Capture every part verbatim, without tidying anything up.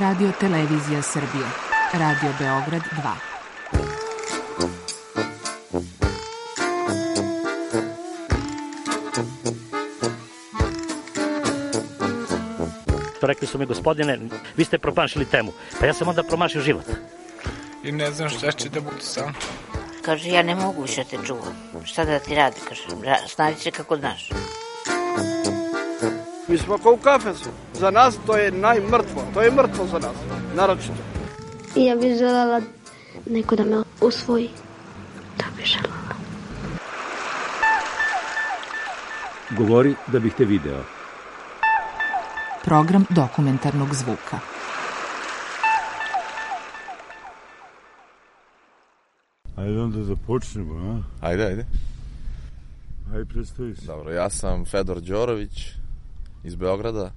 Radio Televizija Srbije. Radio Beograd dva. Rekli su mi, gospodine, vi ste promašili temu. Pa ja sam onda promašio život. I ne znam šta će da bude sam. Kaže, ja ne mogu više te čuvam. Šta da ti radi, kaže, snađi se kako znaš. Mi smo kao u kafesu. Za nas to je najmrtvo. To je mrtvo za nas, naročito. I ja bih želela neko da me usvoji. To bih želela. Govori da bih te video. Program dokumentarnog zvuka. Ajde onda da počnemo, a? Ajde, ajde. Ajde, predstavi se. Dobro, ja sam Fedor Đorović iz Beograda.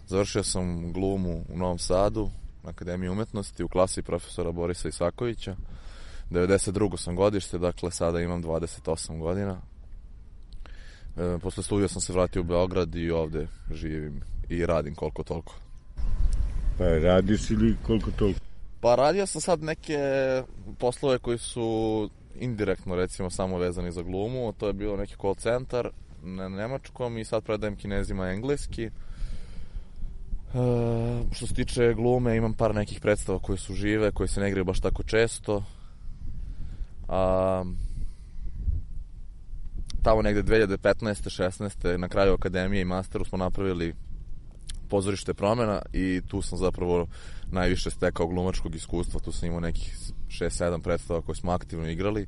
Završio sam glumu u Novom Sadu, na Akademiji umetnosti, u klasi profesora Borisa Isakovića. devedeset drugo sam godište, dakle sada imam dvadeset osam godina. E, posle studija sam se vratio u Beograd i ovde živim i radim koliko toliko. Pa radiš ili koliko toliko? Pa radio sam sad neke poslove koji su indirektno recimo samo vezani za glumu. To je bio neki call centar na nemačkom i sad predajem Kinezima engleski. E, što se tiče glume, imam par nekih predstava koje su žive, koje se ne igraju baš tako često. A, tamo negde dve hiljade petnaeste šesnaeste na kraju akademije i masteru smo napravili Pozorište promena i tu sam zapravo najviše stekao glumačkog iskustva. Tu sam imao nekih šest sedam predstava koje smo aktivno igrali.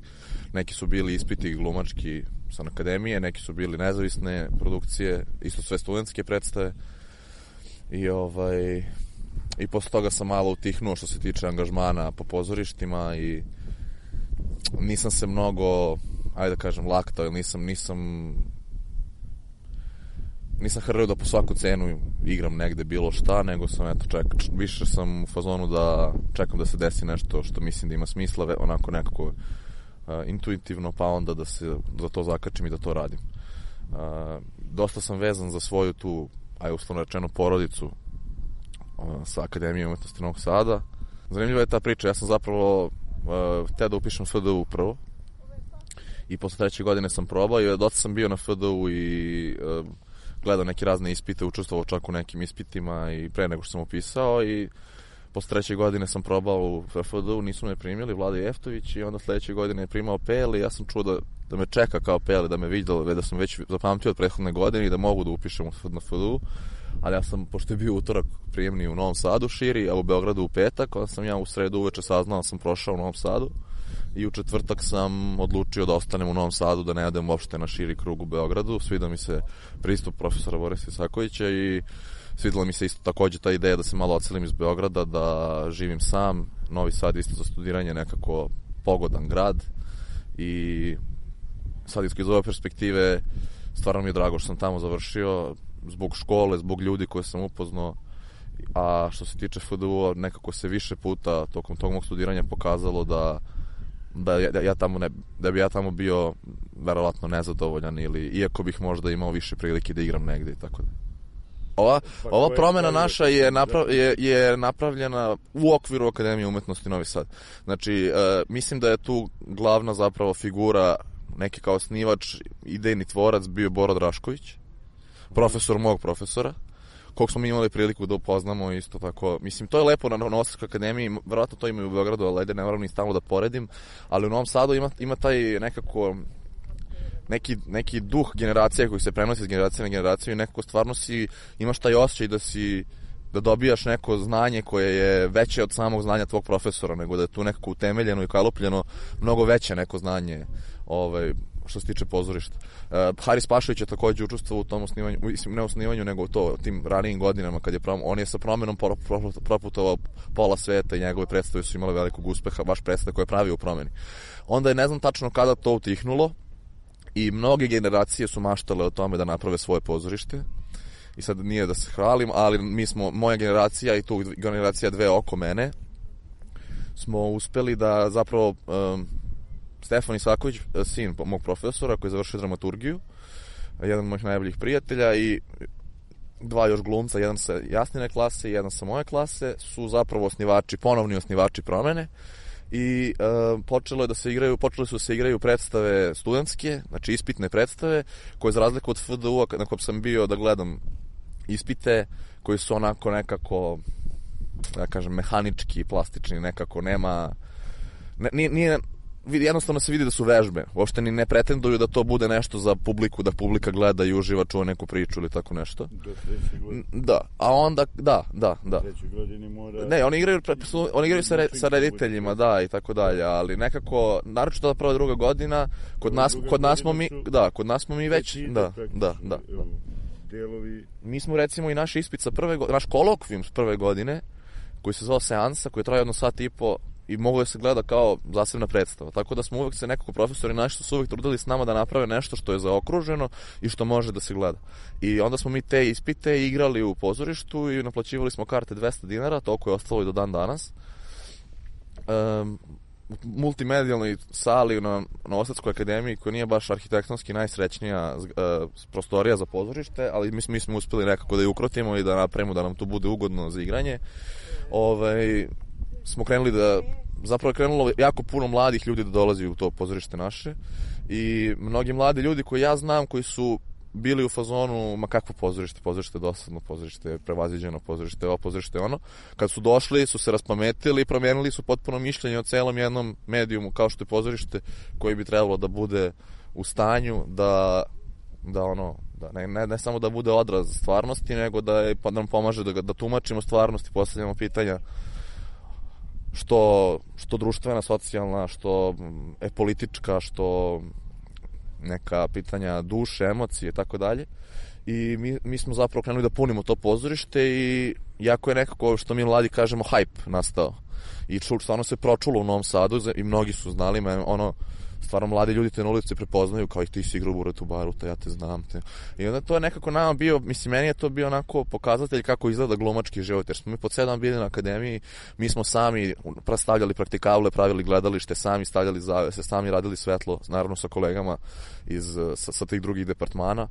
Neki su bili ispiti glumački sa akademije, neki su bili nezavisne produkcije, isto sve studentske predstave. I ovaj i posle toga sam malo utihnuo što se tiče angažmana po pozorištima i nisam se mnogo, ajde da kažem, laktao, ili nisam nisam nisam hrlio da po svaku cenu igram negde bilo šta, nego sam, eto, ček, više sam u fazonu da čekam da se desi nešto što mislim da ima smisla, onako nekako uh, intuitivno, pa onda da se da to zakačim i da to radim. Uh, dosta sam vezan za svoju tu, aj uslovno rečeno, porodicu uh, sa Akademije umetnosti Novog Sada. Zanimljiva je ta priča, ja sam zapravo uh, hteo da upišem F D U prvo i posle treće godine sam probao i dosta sam bio na F D U i uh, gledao neke razne ispite, učestvovao čak u nekim ispitima i pre nego što sam upisao i posle treće godine sam probao u F D U, nisu me primili, Vlada Jeftović, i onda sledeće godine je primao Peli, ja sam čuo da, da me čeka kao Peli, da me vidio, da sam već zapamtio od prethodne godine i da mogu da upišem na F D U, ali ja sam, pošto je bio utorak prijemni u Novom Sadu širi, a u Beogradu u petak, onda sam ja u sredu uveče saznao da sam prošao u Novom Sadu i u četvrtak sam odlučio da ostanem u Novom Sadu, da ne odem uopšte na širi krug u Beogradu. Svidao mi se pristup profesora Borisa Isakovića i svidela mi se isto takođe ta ideja da se malo odselim iz Beograda, da živim sam. Novi Sad isto za studiranje nekako pogodan grad i sad iz ove perspektive stvarno mi je drago što sam tamo završio, zbog škole, zbog ljudi koje sam upoznao. A što se tiče F D U, nekako se više puta tokom tog mog studiranja pokazalo da da ja, ja tamo ne, da bi ja tamo bio verovatno nezadovoljan, ili iako bih možda imao više prilike da igram negde i tako da. Ova, ova promena naša je, naprav, je, je napravljena u okviru Akademije umetnosti Novi Sad. Znači, e, mislim da je tu glavna zapravo figura, neki kao osnivač, idejni tvorac bio Boro Drašković, profesor mog profesora, kog smo mi imali priliku da upoznamo isto tako. Mislim, to je lepo na Novosadskoj akademiji, verovatno to ima i u Beogradu, ali ajde, ne moram ni stalno da poredim, ali u Novom Sadu ima, ima taj nekako neki, neki duh generacije koji se prenosi iz generacije na generaciju i nekako stvarno si, imaš taj osjećaj da si, da dobijaš neko znanje koje je veće od samog znanja tvog profesora, nego da je tu nekako utemeljeno i kalupljeno mnogo veće neko znanje, ovaj, što se tiče pozorišta. Uh, Haris Pašović je takođe učestvovao u tom osnivanju, ne osnivanju, nego to, tim ranijim godinama, kad je prom, on je sa promenom proputovao pola sveta i njegove predstave su imale velikog uspeha, baš predstave koje je pravio u promeni. Onda je, ne znam tačno kada to utihnulo, i mnoge generacije su maštale o tome da naprave svoje pozorište. I sad nije da se hvalim, ali mi smo, moja generacija i tu generacija dve oko mene, smo uspeli da zapravo um, Stefan Isaković, sin mog profesora koji je završio dramaturgiju, jedan od mojih najboljih prijatelja, i dva još glumca, jedan sa Jasnine klase i jedan sa moje klase, su zapravo osnivači, ponovni osnivači Promene. I e, počelo je da se igraju, počeli su da se igraju predstave studentske, znači ispitne predstave, koje za razliku od F D U-a, na kojem sam bio da gledam ispite, koji su onako nekako, da kažem, mehanički, plastični, nekako nema, ne, nije, nije, jednostavno se vidi da su vežbe, uopšte ni ne pretenduju da to bude nešto za publiku, da publika gleda i uživa, čuva neku priču ili tako nešto. Do treće godine. Da, a onda, da, da, da. Do treće godine mora... Ne, oni igraju, oni igraju sa, re, sa rediteljima, da, i tako dalje, ali nekako, naročito da prva druga godina, kod nas, kod nas smo mi, da, kod nas smo mi već, da, da, da. Delovi... Mi smo recimo i naš ispit sa prve godine, naš kolokvijum s prve godine, koji se zvao Seansa, koji traje jedno sat i po, i mogu da se gleda kao zasebna predstava. Tako da smo uvek se nekako profesori naši su uvek trudili s nama da naprave nešto što je zaokruženo i što može da se gleda. I onda smo mi te ispite igrali u pozorištu i naplaćivali smo karte dvesta dinara, toliko je ostalo i do dan danas. Um, multimedijalnoj sali na Novosadskoj akademiji, koja nije baš arhitektonski najsrećnija uh, prostorija za pozorište, ali mi, mi smo uspeli nekako da je ukrotimo i da napravimo da nam to bude ugodno za igranje. Ovaj, smo krenuli da, zapravo je krenulo jako puno mladih ljudi da dolazi u to pozorište naše i mnogi mladi ljudi koji ja znam, koji su bili u fazonu, ma kakvo pozorište, pozorište je dosadno, pozorište je prevaziđeno, pozorište je ovo, pozorište je ono. Kad su došli, su se raspametili i promijenili su potpuno mišljenje o celom jednom medijumu kao što je pozorište, koji bi trebalo da bude u stanju da, da ono, da ne, ne, ne samo da bude odraz stvarnosti, nego da, je, da nam pomaže da, da tumačimo stvarnost i postavljamo pitanja što, što društvena, socijalna, što je politička, što neka pitanja duše, emocije i tako dalje. I mi, mi smo zapravo krenuli da punimo to pozorište i jako je nekako, što mi mladi kažemo, hype nastao. I čul, stvarno se pročulo u Novom Sadu i mnogi su znali, me, ono, stvarno mladi ljudi te na ulici prepoznaju kao i ti si igrao u Buretu baru, te ja te znam. Te. I onda to je nekako nama bio, mislim, meni je to bio onako pokazatelj kako izgleda glumački život, jer smo mi pod sedam bili na akademiji, mi smo sami stavljali praktikable, pravili gledalište, sami stavljali zavese, sami radili svetlo, naravno sa kolegama iz, sa, sa tih drugih departmana.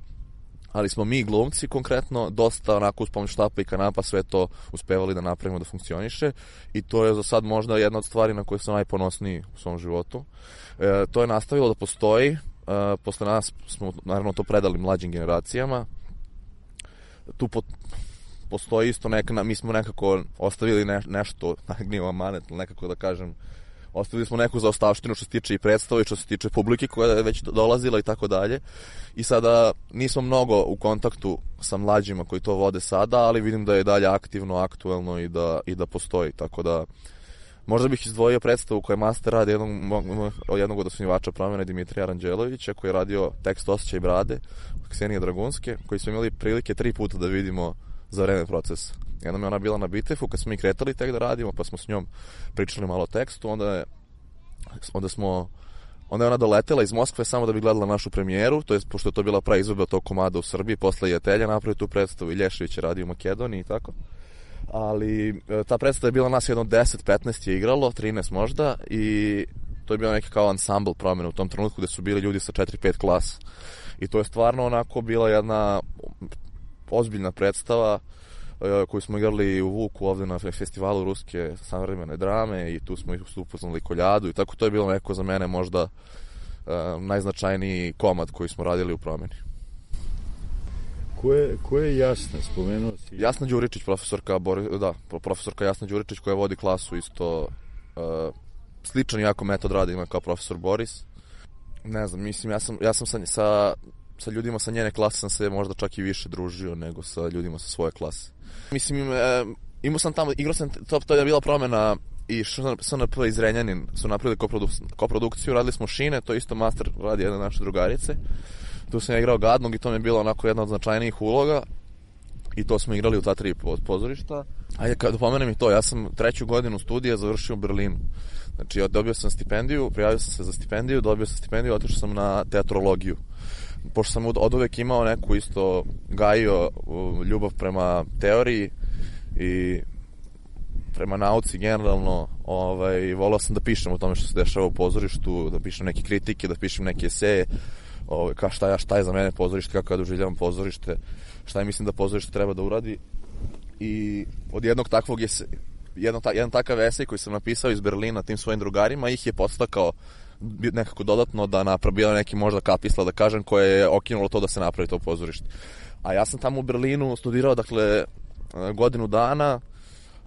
Ali smo mi glumci konkretno dosta onako uz pomoć štapa i kanapa sve to uspevali da napravimo da funkcioniše i to je za sad možda jedna od stvari na koje sam najponosniji u svom životu. E, to je nastavilo da postoji, e, posle nas smo naravno to predali mlađim generacijama. Tu po, postoji isto neka, mi smo nekako ostavili ne, nešto, nije amanet, nekako da kažem, ostavili smo neku zaostavštinu što se tiče i predstava i što se tiče publike koja je već dolazila i tako dalje. I sada nismo mnogo u kontaktu sa mlađima koji to vode sada, ali vidim da je dalje aktivno, aktuelno i da, i da postoji. Tako da možda bih izdvojio predstavu koja je master rad jednog, jednog od osnivača Promene, Dimitrija Ranđelovića, koji je radio tekst Osjećaj brade, Ksenije Dragunske, koji smo imali prilike tri puta da vidimo za vreme procesa. Jednom je ona bila na Bitefu kad smo mi kretali tek da radimo, pa smo s njom pričali malo o tekstu, onda je, onda smo onda je ona doletela iz Moskve samo da bi gledala našu premijeru, to je pošto je to bila prva izvedba tog komada u Srbiji, posle je Telja napravio tu predstavu i Lješević je radio u Makedoniji i tako. Ali ta predstava je bila nas jedno deset petnaest je igralo, trinaest možda, i to je bio neki kao ansambl Promene u tom trenutku gde su bili ljudi sa četiri pet klasa. I to je stvarno onako bila jedna ozbiljna predstava koju smo igrali u Vuku ovde na festivalu ruske savremene drame i tu smo ih upoznali Koljadu i tako to je bilo neko za mene možda uh, najznačajniji komad koji smo radili u Promeni. Ko je, ko je Jasna, spomenuo si? Jasna Đuričić, profesorka, da, profesorka Jasna Đuričić koja vodi klasu isto uh, sličan jako metod rada ima kao profesor Boris. Ne znam, mislim, ja sam, ja sam sa, sa, sa ljudima sa njene klase sam se možda čak i više družio nego sa ljudima sa svoje klase. Mislim, e, imao sam tamo, igrao sam, to, to je bila Promena i S N P iz Renjanin su napravili koprodukciju, koprodukciju, radili smo Šine, to isto master radi jedna naše drugarice. Tu sam ja igrao Gadnog i to mi je bilo onako jedna od značajnijih uloga i to smo igrali u ta tri pozorišta. Ajde, kada pomenem i to, ja sam treću godinu studija završio u Berlinu. Znači, ja dobio sam stipendiju, prijavio sam se za stipendiju, dobio sam stipendiju, otišao sam na teatrologiju. Pošto sam od uvek imao neku isto gajio ljubav prema teoriji i prema nauci generalno, ovaj, volao sam da pišem o tome što se dešava u pozorištu, da pišem neke kritike, da pišem neke eseje. ovaj, ka šta, ja, šta je za mene pozorište, kako ja doživljavam pozorište, šta je mislim da pozorište treba da uradi. I od jednog takvog je se, jedno, ta, jedan takav esej koji sam napisao iz Berlina tim svojim drugarima, ih je podstakao nekako dodatno da napravi bilo neki možda kapisla, da kažem, koje je okinulo to da se napravi to pozorište. A ja sam tamo u Berlinu studirao, dakle, godinu dana,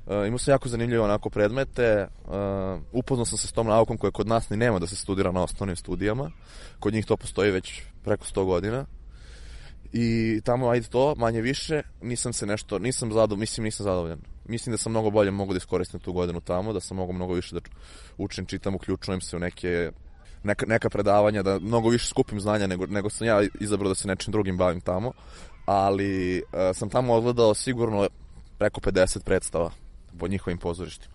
uh, imao sam jako zanimljive onako predmete, uh, upoznao sam se s tom naukom koja kod nas ni nema da se studira na osnovnim studijama, kod njih to postoji već preko sto godina. I tamo, ajde to, manje više, nisam se nešto, nisam zadovoljan, mislim nisam zadovoljan. Mislim da sam mnogo bolje mogu da iskoristim tu godinu tamo, da sam mogu mnogo više da učim, čitam, uključujem se u neke, neka, neka predavanja, da mnogo više skupim znanja nego, nego sam ja izabrao da se nečim drugim bavim tamo. Ali uh, sam tamo odgledao sigurno preko pedeset predstava po njihovim pozorištima.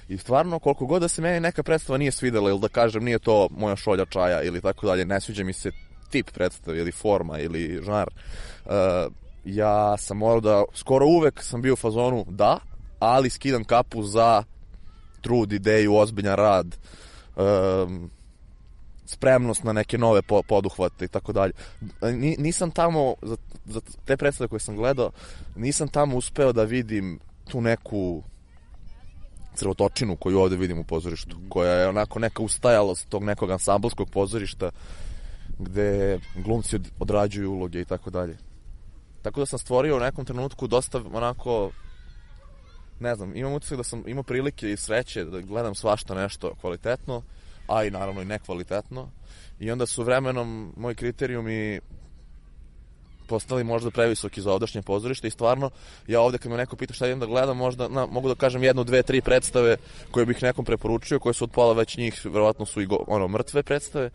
I stvarno, koliko god da se meni neka predstava nije svidela, ili da kažem nije to moja šolja čaja ili tako dalje, ne sviđa mi se tip predstave ili forma ili žanr, uh, ja sam morao da, skoro uvek sam bio u fazonu da, ali skidam kapu za trud, ideju, ozbiljan rad, um, spremnost na neke nove poduhvate i tako dalje. Nisam tamo, za, za te predstave koje sam gledao, nisam tamo uspeo da vidim tu neku crvotočinu koju ovde vidim u pozorištu, koja je onako neka ustajalost tog nekog ansamblskog pozorišta gde glumci odrađuju uloge i tako dalje. Tako da sam stvorio u nekom trenutku dosta onako, ne znam, imam utisak da sam imao prilike i sreće da gledam svašta nešto kvalitetno, a i naravno i nekvalitetno. I onda su vremenom moji kriterijumi postali možda previsoki za ovdašnje pozorište i stvarno ja ovde kad me neko pita šta idem da gledam, možda na, mogu da kažem jednu, dve, tri predstave koje bih nekom preporučio, koje su od pola već njih, verovatno su i go, ono, mrtve predstave,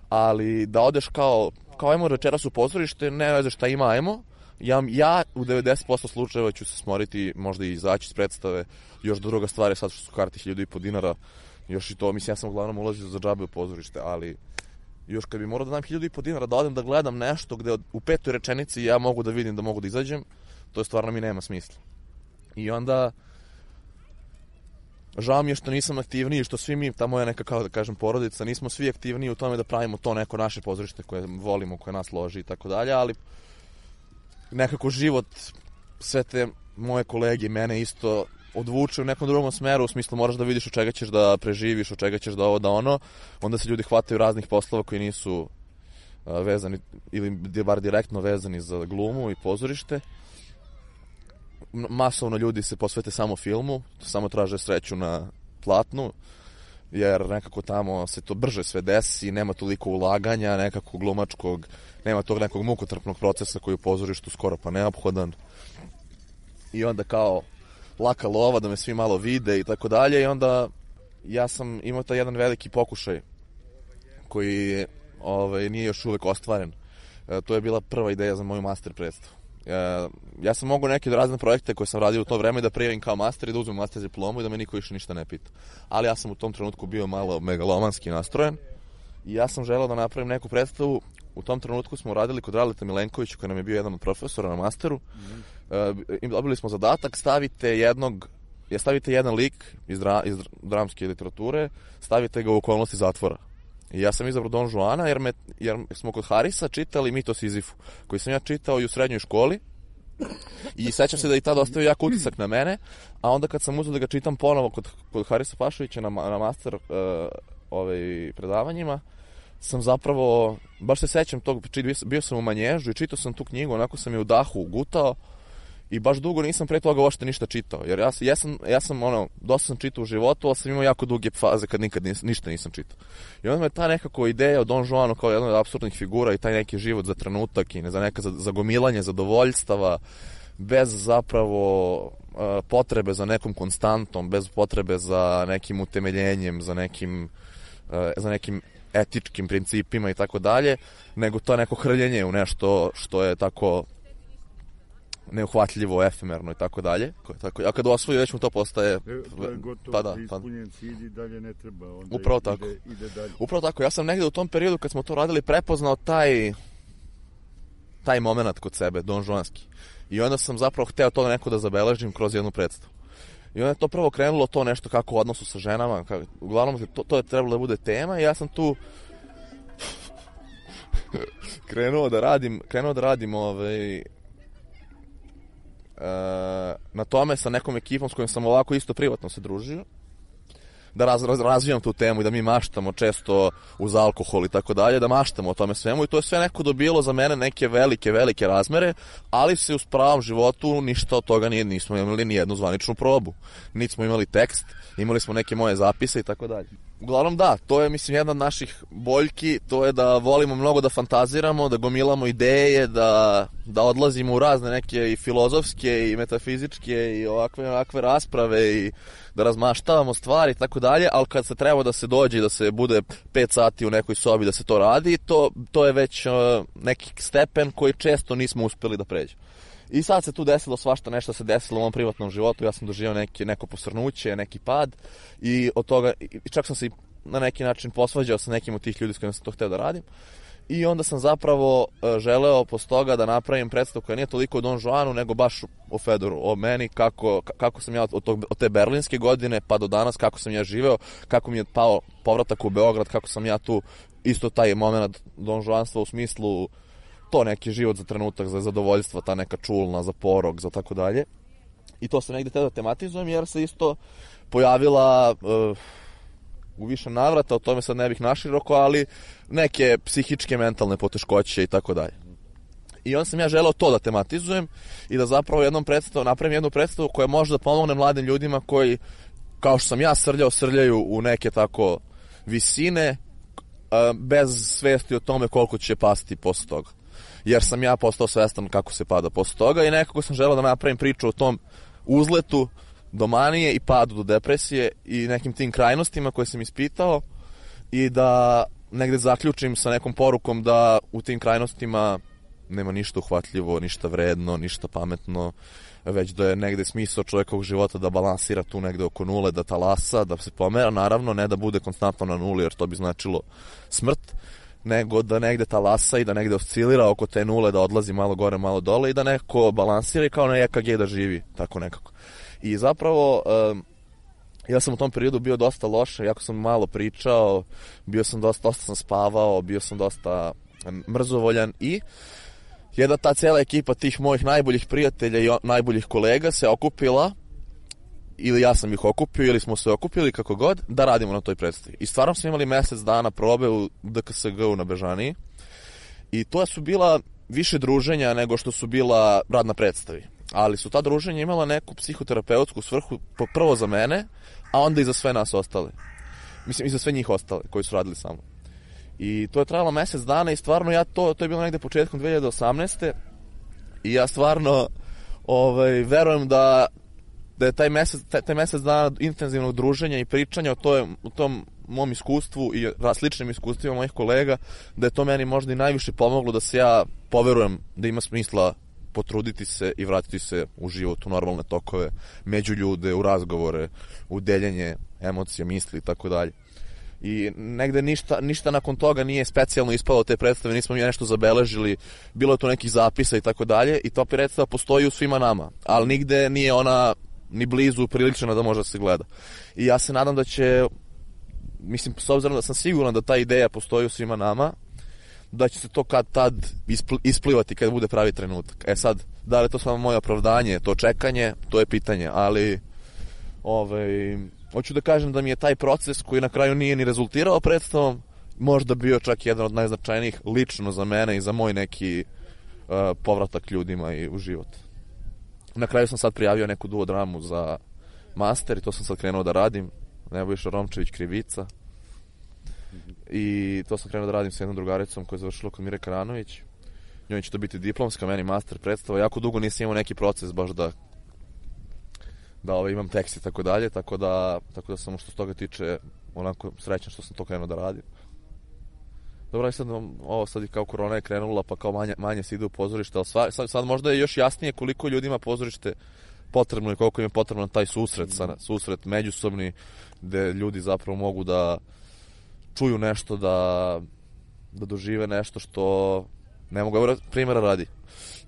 ali da odeš kao, kao ajmo večeras u pozorište, ne veze šta ima, ajmo, ja, ja u devedeset posto slučajeva ću se smoriti, možda i izaći iz predstave. Još druga stvar je sad što su karti hiljadu i po dinara, još i to, mislim, ja sam uglavnom ulazio za džabe u pozorište, ali još kad bi morao da dam hiljadu i po dinara da odem da gledam nešto gde u petoj rečenici ja mogu da vidim da mogu da izađem, to je stvarno mi nema smisla. I onda žao mi je što nisam aktivniji, što svi mi, ta moja neka, kao da kažem, porodica, nismo svi aktivniji u tome da pravimo to neko naše pozorište koje volimo, koje nas loži i tako dalje, ali nekako život, sve te moje kolege i mene isto odvuče u nekom drugom smeru, u smislu moraš da vidiš od čega ćeš da preživiš, od čega ćeš da ovo, da ono, onda se ljudi hvataju raznih poslova koji nisu uh, vezani, ili bar direktno vezani za glumu i pozorište. Masovno ljudi se posvete samo filmu, samo traže sreću na platnu, jer nekako tamo se to brže sve desi, nema toliko ulaganja, nekako glumačkog, nema tog nekog mukotrpnog procesa koji u pozorištu skoro pa neophodan. I onda kao laka lova da me svi malo vide i tako dalje, i onda ja sam imao taj jedan veliki pokušaj koji ovaj, nije još uvek ostvaren. E, to je bila prva ideja za moju master predstavu. E, ja sam mogao neke razne projekte koje sam radio u to vreme da prijavim kao master i da uzmem master diplomu i da me niko više ništa ne pita. Ali ja sam u tom trenutku bio malo megalomanski nastrojen i ja sam želeo da napravim neku predstavu. U tom trenutku smo radili kod Radeta Milenkovića, koji nam je bio jedan od profesora na masteru. Mm-hmm. E, dobili smo zadatak, stavite jednog, je stavite jedan lik iz, dra, iz dramske literature, stavite ga u okolnosti zatvora. I ja sam izabrao Don Juana, jer, me, jer smo kod Harisa čitali Mit o Sizifu, koji sam ja čitao i u srednjoj školi. I sećam se da i tada ostavio jak utisak na mene, a onda kad sam uzeo da ga čitam ponovo kod, kod Harisa Pašovića na, na master uh, ovaj, predavanjima, sam zapravo, baš se sećam tog, bio sam u Manježu i čitao sam tu knjigu, onako sam je u dahu gutao i baš dugo nisam pre toga uopšte ništa čitao, jer ja, ja, sam, ja sam, ono, dosta sam čitao u životu, ali sam imao jako duge faze kad nikad nis, ništa nisam čitao. I onda me ta nekako ideja o Don Juanu kao jedna od apsurdnih figura i taj neki život za trenutak i ne za neka zagomilanje zadovoljstava, bez zapravo uh, potrebe za nekom konstantom, bez potrebe za nekim utemeljenjem, za nekim, uh, za nekim etičkim principima i tako dalje, nego to neko hrljenje u nešto što je tako neuhvatljivo, efemerno i tako dalje. Tako, a kad osvoji, već mu to postaje... E, to je gotovo, pa da, ispunjen cilj i dalje ne treba. Onda upravo ide, tako. Ide dalje. Upravo tako. Ja sam negde u tom periodu, kad smo to radili, prepoznao taj taj moment kod sebe, Don Juanski. I onda sam zapravo hteo to neko da zabeležim kroz jednu predstavu. I onda je to prvo krenulo to nešto kako u odnosu sa ženama, kako, uglavnom to, to je trebalo da bude tema i ja sam tu krenuo da radim, krenuo da radim ovaj, uh, na tome sa nekom ekipom s kojom sam ovako isto privatno se družio, da raz, raz, razvijam tu temu i da mi maštamo često uz alkohol i tako dalje, da maštamo o tome svemu i to je sve neko dobilo za mene neke velike, velike razmere, ali se u pravom životu ništa od toga nije, nismo imali ni jednu zvaničnu probu. Niti smo imali tekst, imali smo neke moje zapise i tako dalje. Uglavnom da, to je mislim jedna od naših boljki, to je da volimo mnogo da fantaziramo, da gomilamo ideje, da, da odlazimo u razne neke i filozofske i metafizičke i ovakve, ovakve rasprave i da razmaštavamo stvari i tako dalje, ali kad se treba da se dođe i da se bude pet sati u nekoj sobi da se to radi, to, to je već uh, neki stepen koji često nismo uspeli da pređemo. I sad se tu desilo svašta, nešto se desilo u mom privatnom životu, ja sam doživio neki, neko posrnuće, neki pad i od toga, i čak sam se na neki način posvađao sa nekim od tih ljudi s kojima sam to hteo da radim. I onda sam zapravo uh, želeo posle toga da napravim predstavu koja nije toliko o Don Juanu, nego baš o Fedoru, o meni, kako, kako sam ja od, tog, od te berlinske godine pa do danas, kako sam ja živeo, kako mi je pao povratak u Beograd, kako sam ja tu isto taj moment Don Juanstva u smislu to neki život za trenutak, za zadovoljstva, ta neka čulna, za porok, za tako dalje. I to se negde te da tematizujem jer se isto pojavila uh, u više navrata, o tome sad ne bih naširoko, ali neke psihičke, mentalne poteškoće i tako dalje. I onda sam ja želeo to da tematizujem i da zapravo jednom predstavu, napravim jednu predstavu koja može da pomogne mladim ljudima koji, kao što sam ja srljao, srljaju u neke tako visine uh, bez svesti o tome koliko će pasti posle toga. Jer sam ja postao svestan kako se pada posle toga i nekako sam želeo da napravim priču o tom uzletu do manije i padu do depresije i nekim tim krajnostima koje sam ispitao i da negde zaključim sa nekom porukom da u tim krajnostima nema ništa uhvatljivo, ništa vredno, ništa pametno, već da je negde smisao čovjekovog života da balansira tu negde oko nule, da talasa, da se pomera, naravno ne da bude konstantno na nuli jer to bi značilo smrt, nego da negde talasa i da negde oscilira oko te nule, da odlazi malo gore, malo dole i da neko balansira i kao na E K G da živi, tako nekako. I zapravo, um, ja sam u tom periodu bio dosta loše, jako sam malo pričao, bio sam dosta, dosta sam spavao, bio sam dosta mrzovoljan i jedna ta cijela ekipa tih mojih najboljih prijatelja i najboljih kolega se okupila, ili ja sam ih okupio, ili smo se okupili, kako god, da radimo na toj predstavi. I stvarno smo imali mesec dana probe u D K S G-u na Bežaniji i to su bila više druženja nego što su bila rad na predstavi. Ali su ta druženja imala neku psihoterapeutsku svrhu, prvo za mene, a onda i za sve nas ostale. Mislim, i za sve njih ostale koji su radili sa mnom. I to je trajalo mesec dana i stvarno ja to, to je bilo negde početkom dve hiljade osamnaeste. I ja stvarno ovaj, verujem da da je taj mesec, taj, taj mesec dana intenzivnog druženja i pričanja o, toj, o tom mom iskustvu i sličnim iskustvima mojih kolega, da je to meni možda i najviše pomoglo da se ja poverujem da ima smisla potruditi se i vratiti se u život, u normalne tokove, među ljude, u razgovore, u deljenje emocija, misli i tako dalje. I negde ništa, ništa nakon toga nije specijalno ispalo te predstave, nismo mi nešto zabeležili, bilo je to nekih zapisa i tako dalje i ta predstava postoji u svima nama, ali nigde nije ona ni blizu prilična da može da se gleda. I ja se nadam da će, mislim, s obzirom da sam siguran da ta ideja postoji u svima nama, da će se to kad tad ispl- isplivati kad bude pravi trenutak. E sad, da li je to samo moje opravdanje, to čekanje, to je pitanje, ali ovaj, hoću da kažem da mi je taj proces koji na kraju nije ni rezultirao predstavom, možda bio čak jedan od najznačajnijih lično za mene i za moj neki uh, povratak ljudima i u život. Na kraju sam sad prijavio neku duo dramu za master i to sam sad krenuo da radim. Nebojša Romčević, Krivica. I to sam krenuo da radim s jednom drugaricom koja je završila kod Mire Karanović. Njoj će to biti diplomska, meni master predstava. Jako dugo nisam imao neki proces baš da da ovaj, imam tekst i tako dalje, tako da, tako da sam što se toga tiče onako srećan što sam to krenuo da radim. Dobro, i sad ovo sad i kao korona je krenula, pa kao manje, manje se ide u pozorište, ali sva, sad, sad možda je još jasnije koliko ljudima pozorište potrebno i koliko im je potrebno taj susret, sa, susret međusobni, gde ljudi zapravo mogu da čuju nešto, da, da dožive nešto što ne mogu, evo primjera radi.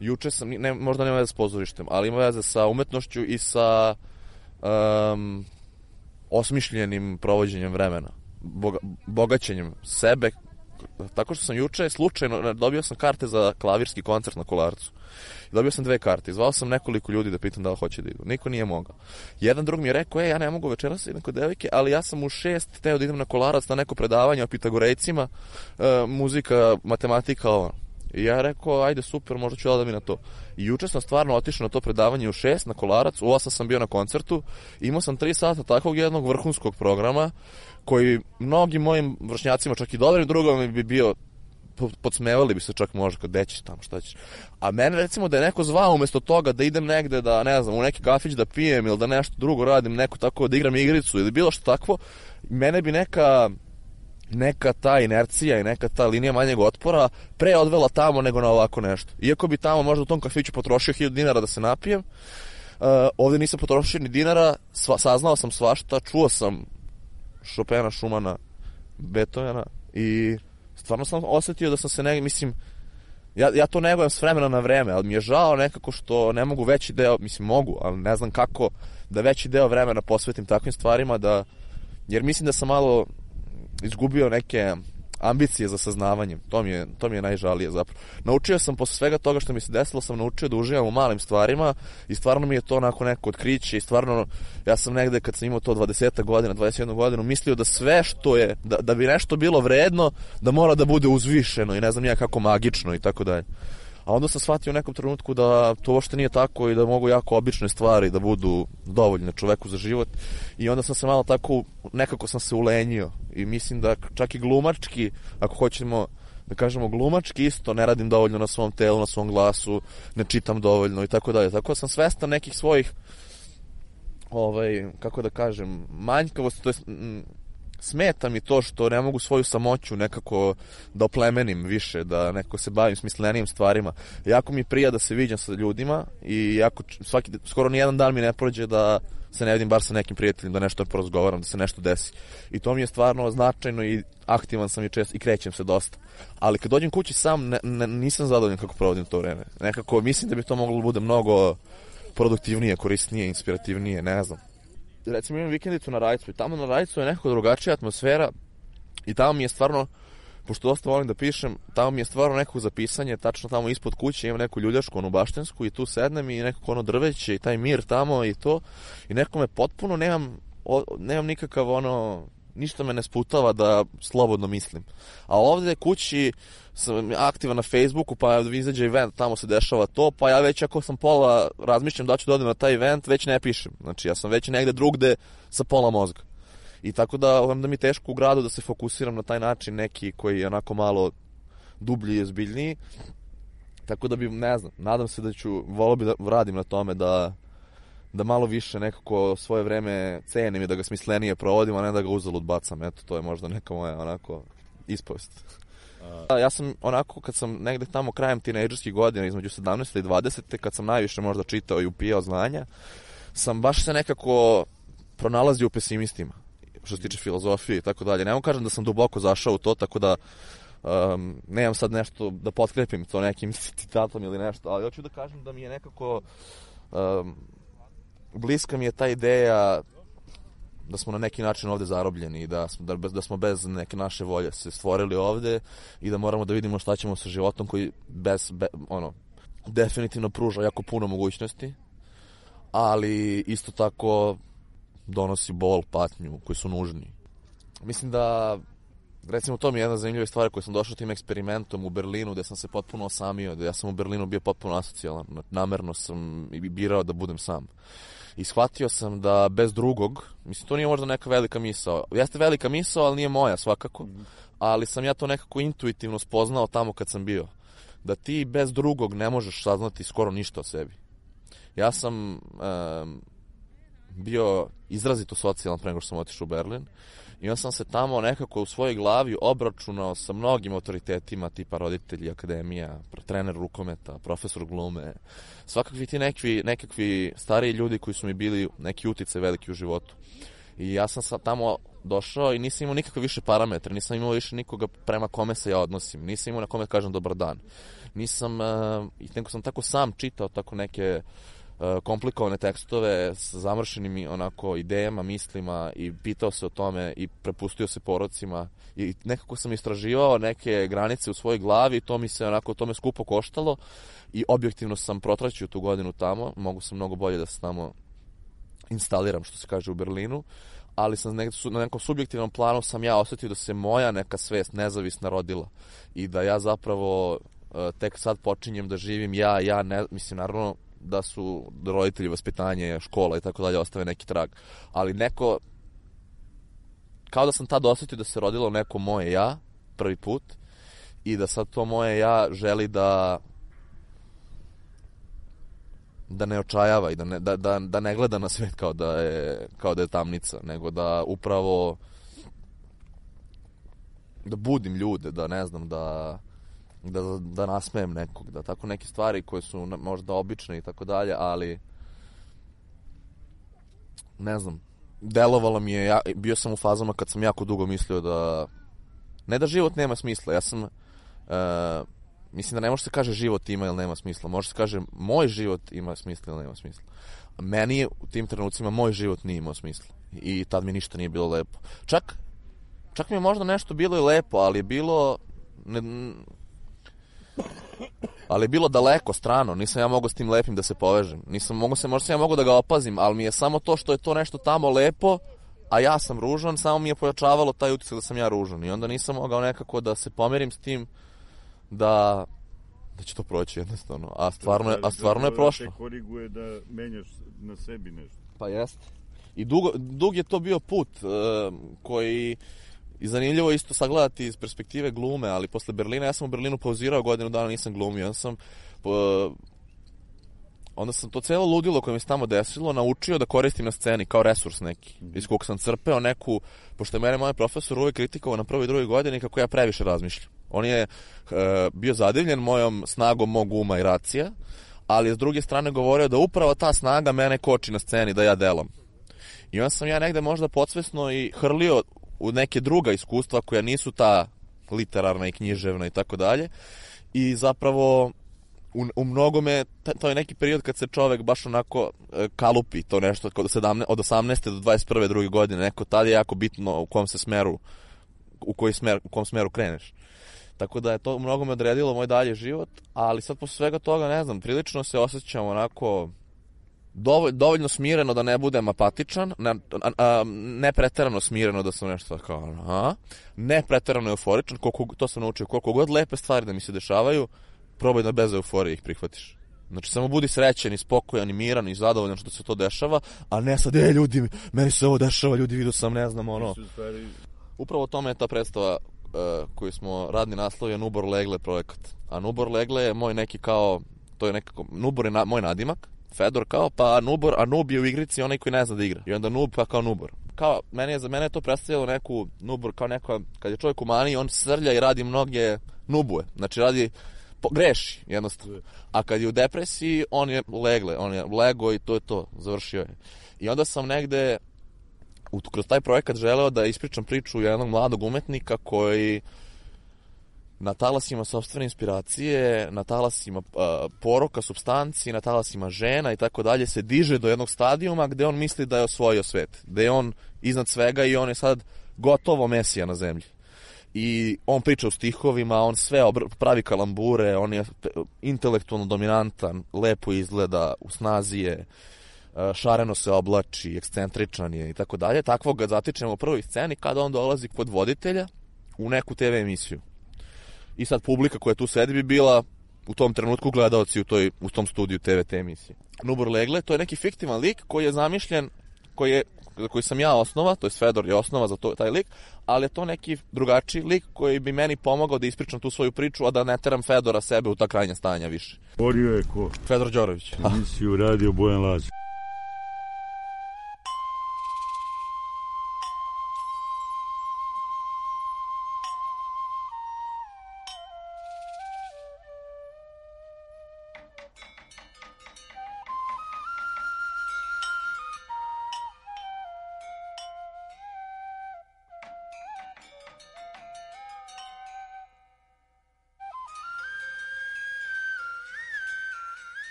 Juče sam, ne, možda nema veze s pozorištem, ali ima veze sa umetnošću i sa um, osmišljenim provođenjem vremena, boga, bogaćenjem sebe tako što sam juče slučajno dobio sam karte za klavirski koncert na Kolarcu. Dobio sam dve karte, zvao sam nekoliko ljudi da pitam da li hoće da idu. Niko nije mogao. Jedan drug mi je rekao, e, ja ne mogu večeras idem kod devojke, ali ja sam u šest teo da idem na Kolarac na neko predavanje o Pitagorejcima, e, muzika, matematika, ovo. I ja rekao, ajde super, možda ću da mi na to. I juče sam stvarno otišao na to predavanje u šest na Kolarac, u osam sam bio na koncertu, imao sam tri sata takvog jednog vrhunskog programa, koji mnogim mojim vršnjacima, čak i dobrim drugom bi bio, podsmevali bi se čak možda kad dećeš tamo, šta ćeš. A mene recimo da je neko zvao umjesto toga da idem negde da, ne znam, u neki kafić da pijem ili da nešto drugo radim, neko tako da igram igricu ili bilo što takvo, mene bi neka neka ta inercija i neka ta linija manjeg otpora pre odvela tamo nego na ovako nešto. Iako bi tamo možda u tom kafiću potrošio hiljadu dinara da se napijem, uh, ovdje nisam potrošio ni dinara, sva, saznao sam svašta, čuo sam Chopina, Schumana, Beethovena i stvarno sam osjetio da sam se ne, mislim, ja, ja to negujem s vremena na vreme, ali mi je žao nekako što ne mogu veći deo, mislim mogu, ali ne znam kako da veći deo vremena posvetim takvim stvarima, da, jer mislim da sam malo izgubio neke ambicije za saznavanjem. To mi je, to mi je najžalije zapravo. Naučio sam posle svega toga što mi se desilo, sam naučio da uživam u malim stvarima i stvarno mi je to onako neko otkriće i stvarno ja sam negde kad sam imao to dvadeset godina, dvadeset jednu godinu mislio da sve što je, da, da bi nešto bilo vredno, da mora da bude uzvišeno i ne znam ja kako magično i tako dalje. A onda sam shvatio u nekom trenutku da to uopšte nije tako i da mogu jako obične stvari da budu dovoljne čoveku za život. I onda sam se malo tako, nekako sam se ulenjio. I mislim da čak i glumački, ako hoćemo da kažemo glumački, isto ne radim dovoljno na svom telu, na svom glasu, ne čitam dovoljno i tako dalje. Tako da sam svestan nekih svojih, ovaj, kako da kažem, manjkavosti, to je... Smeta mi to što ne mogu svoju samoću nekako da oplemenim više, da nekako se bavim smislenijim stvarima. Jako mi prija da se viđam sa ljudima i jako svaki, skoro nijedan dan mi ne prođe da se ne vidim bar sa nekim prijateljem, da nešto porazgovaram, da se nešto desi. I to mi je stvarno značajno i aktivan sam i često i krećem se dosta. Ali kad dođem kući sam, ne, ne, nisam zadovoljan kako provodim to vreme. Nekako mislim da bi to moglo da bude mnogo produktivnije, korisnije, inspirativnije, ne znam. Recimo imam vikendicu na Rajcu i tamo na Rajcu je nekako drugačija atmosfera i tamo mi je stvarno, pošto dosta volim da pišem, tamo mi je stvarno nekako za pisanje, tačno tamo ispod kuće imam neku ljuljašku, onu baštensku i tu sednem i nekako ono drveće i taj mir tamo i to i nekako me potpuno, nemam, o, nemam nikakav ono, ništa me ne sputava da slobodno mislim. A ovdje kući sam aktivan na Facebooku, pa izađe event, tamo se dešava to, pa ja već ako sam pola razmišljam da ću da odem na taj event, već ne pišem. Znači ja sam već negde drugde sa pola mozga. I tako da onda mi teško u gradu da se fokusiram na taj način neki koji je onako malo dublji i ozbiljniji. Tako da bi, ne znam, nadam se da ću, volio bi da radim na tome da da malo više nekako svoje vreme cenim i da ga smislenije provodim, a ne da ga uzalud bacam. Eto, to je možda neka moja onako ispovest. A... Ja sam onako, kad sam negde tamo krajem tinejdžerskih godina, između sedamnaeste i dvadesete, kad sam najviše možda čitao i upijao znanja, sam baš se nekako pronalazio u pesimistima, što se tiče filozofije i tako dalje. Ne mogu kažem da sam duboko zašao u to, tako da um, nemam sad nešto da potkrepim to nekim citatom ili nešto, ali hoću da kažem da mi je nekako... Um, bliska mi je ta ideja da smo na neki način ovde zarobljeni i da smo, da, da smo bez neke naše volje se stvorili ovde i da moramo da vidimo šta ćemo sa životom koji bez, be, ono, definitivno pruža jako puno mogućnosti, ali isto tako donosi bol, patnju koji su nužni. Mislim da, recimo, to mi je jedna zanimljiva stvar koju sam došao tim eksperimentom u Berlinu, gde sam se potpuno osamio, da ja sam u Berlinu bio potpuno asocijalan, namerno sam birao da budem sam. I shvatio sam da bez drugog, mislim, to nije možda neka velika misao, jeste velika misao, ali nije moja svakako, ali sam ja to nekako intuitivno spoznao tamo kad sam bio, da ti bez drugog ne možeš saznati skoro ništa o sebi. Ja sam um, bio izrazito socijalan pre nego što sam otišao u Berlin i onda sam se tamo nekako u svojoj glavi obračunao sa mnogim autoritetima tipa roditelji, akademija, trener rukometa, profesor glume, svakakvi ti nekakvi, nekakvi stariji ljudi koji su mi bili neki uticaj veliki u životu. I ja sam sad tamo došao i nisam imao nikakve više parametre, nisam imao više nikoga prema kome se ja odnosim, nisam imao na kome kažem dobar dan. Nisam, uh, i neko sam tako sam čitao tako neke komplikovane tekstove s zamršenim onako idejama, mislima i pitao se o tome i prepustio se porocima i nekako sam istraživao neke granice u svojoj glavi i to mi se onako, to me skupo koštalo i objektivno sam protraćio tu godinu tamo, mogu sam mnogo bolje da se tamo instaliram, što se kaže, u Berlinu, ali sam negde, na nekom subjektivnom planu sam ja osetio da se moja neka svest nezavisna rodila i da ja zapravo tek sad počinjem da živim ja, ja ne, mislim, naravno da su roditelji, vaspitanje, škola i tako dalje ostave neki trag, ali neko, kao da sam tad osetio da se rodilo neko moje ja, prvi put, i da sad to moje ja želi da da ne očajava i da ne, da, da, da ne gleda na svet kao da je, kao da je tamnica, nego da upravo da budim ljude, da ne znam, da da, da nasmejem nekog, da tako neke stvari koje su možda obične i tako dalje, ali ne znam, delovalo mi je, ja, bio sam u fazama kad sam jako dugo mislio da ne da život nema smisla, ja sam uh, mislim da ne može se kaže život ima ili nema smisla, može se kaže moj život ima smisla ili nema smisla. Meni je u tim trenucima moj život nije imao smisla i tad mi ništa nije bilo lepo. Čak, čak mi je možda nešto bilo i lepo, ali je bilo ne, ali je bilo daleko, strano, nisam ja mogao s tim lepim da se povežem, nisam mogao se, možda sam ja mogao da ga opazim, ali mi je samo to što je to nešto tamo lepo, a ja sam ružan, samo mi je pojačavalo taj utisak da sam ja ružan i onda nisam mogao nekako da se pomerim s tim da da će to proći jednostavno, a stvarno je, a stvarno je prošlo. Da te koriguje da menjaš na sebi nešto. Pa jeste. I dugo, dug je to bio put uh, koji i zanimljivo isto sagledati iz perspektive glume, ali posle Berlina, ja sam u Berlinu pauzirao godinu dana, nisam glumio, onda sam uh, onda sam to celo ludilo koje mi se tamo desilo naučio da koristim na sceni kao resurs neki, mm-hmm. iz kog sam crpeo neku, pošto je mene moj profesor uvijek kritikovao na prvoj i drugoj godini kako ja previše razmišljam. On je uh, bio zadivljen mojom snagom mog uma i racija, ali s druge strane govorio da upravo ta snaga mene koči na sceni, da ja delam. I onda sam ja negde možda podsvesno i hrlio u neke druga iskustva koja nisu ta literarna i književna i tako dalje. I zapravo u, u mnogome, to je neki period kad se čovek baš onako e, kalupi, to nešto od, sedamnaeste, od osamnaeste do dvadeset prve druge godine, neko tad je jako bitno u kom se smeru, u koji smer, u kom smeru kreneš. Tako da je to u mnogome odredilo moj dalje život, ali sad posle svega toga, ne znam, prilično se osjećam onako dovolj, dovoljno smireno da ne budem apatičan, ne, a, a, ne preterano smireno da sam nešto kao, a, ne preterano euforičan, koliko, to sam naučio, koliko god lepe stvari da mi se dešavaju, probaj da bez euforije ih prihvatiš. Znači, samo budi srećen i spokojan i miran i zadovoljan što se to dešava, a ne sad, e, ljudi, meni se ovo dešava, ljudi, vidio sam, ne znam, ono. Upravo tome je ta predstava uh, koju smo radni naslov je Nubor Legle projekat. A Nubor Legle je moj neki kao, to je nekako, Nubor je na, moj nadimak, Fedor kao, pa Nubor, a Nub je u igrici onaj koji ne zna da igra. I onda Nub pa kao Nubor. Kao, meni je, za mene je to predstavljalo neku, Nubor kao neka, kad je čovjek u maniji, on srlja i radi mnoge nubuje. Znači, radi, po, greši, jednostavno. A kad je u depresiji, on je legle, on je lego i to je to, završio je. I onda sam negde, u, kroz taj projekat želeo da ispričam priču jednog mladog umetnika koji na talasima sopstvene inspiracije, na talasima uh, poroka, supstanci, na talasima žena i tako dalje se diže do jednog stadijuma gde on misli da je osvojio svet, gde je on iznad svega i on je sad gotovo mesija na zemlji. I on priča u stihovima, on sve obr- pravi kalambure, on je intelektualno dominantan, lepo izgleda, u snazi je, uh, šareno se oblači, ekscentričan je i tako dalje. Takvog ga zatičemo u prvoj sceni kada on dolazi kod voditelja u neku te ve emisiju. I sad publika koja tu sedi bi bila u tom trenutku gledaoci u, toj, u tom studiju te ve te emisije. Nubor Legle, to je neki fiktivan lik koji je zamišljen, koji, je, koji sam ja osnova, to je Fedor je osnova za to, taj lik, ali je to neki drugačiji lik koji bi meni pomogao da ispričam tu svoju priču, a da ne teram Fedora sebe u ta krajnja stanja više. Borio je ko? Fedor Đorović. Emisiju radio Bojan Lazić.